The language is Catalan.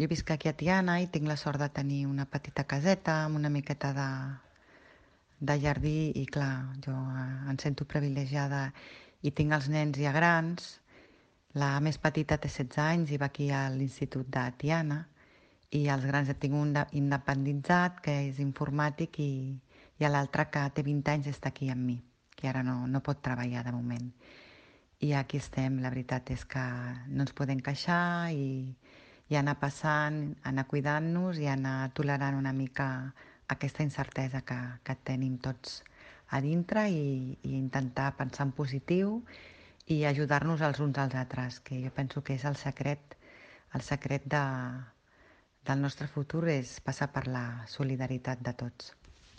Jo visc aquí a Tiana i tinc la sort de tenir una petita caseta amb una miqueta de jardí i clar, jo em sento privilegiada i tinc els nens ja grans. La més petita té 16 anys i va aquí a l'Institut de Tiana i els grans ja tinc un independitzat que és informàtic i l'altre que té 20 anys està aquí amb mi, que ara no pot treballar de moment. I aquí estem, la veritat és que no ens podem queixar i anar passant, anar cuidant-nos i anar tolerant una mica aquesta incertesa que tenim tots a dintre i intentar pensar en positiu i ajudar-nos els uns als altres, que jo penso que és el secret del nostre futur és passar per la solidaritat de tots.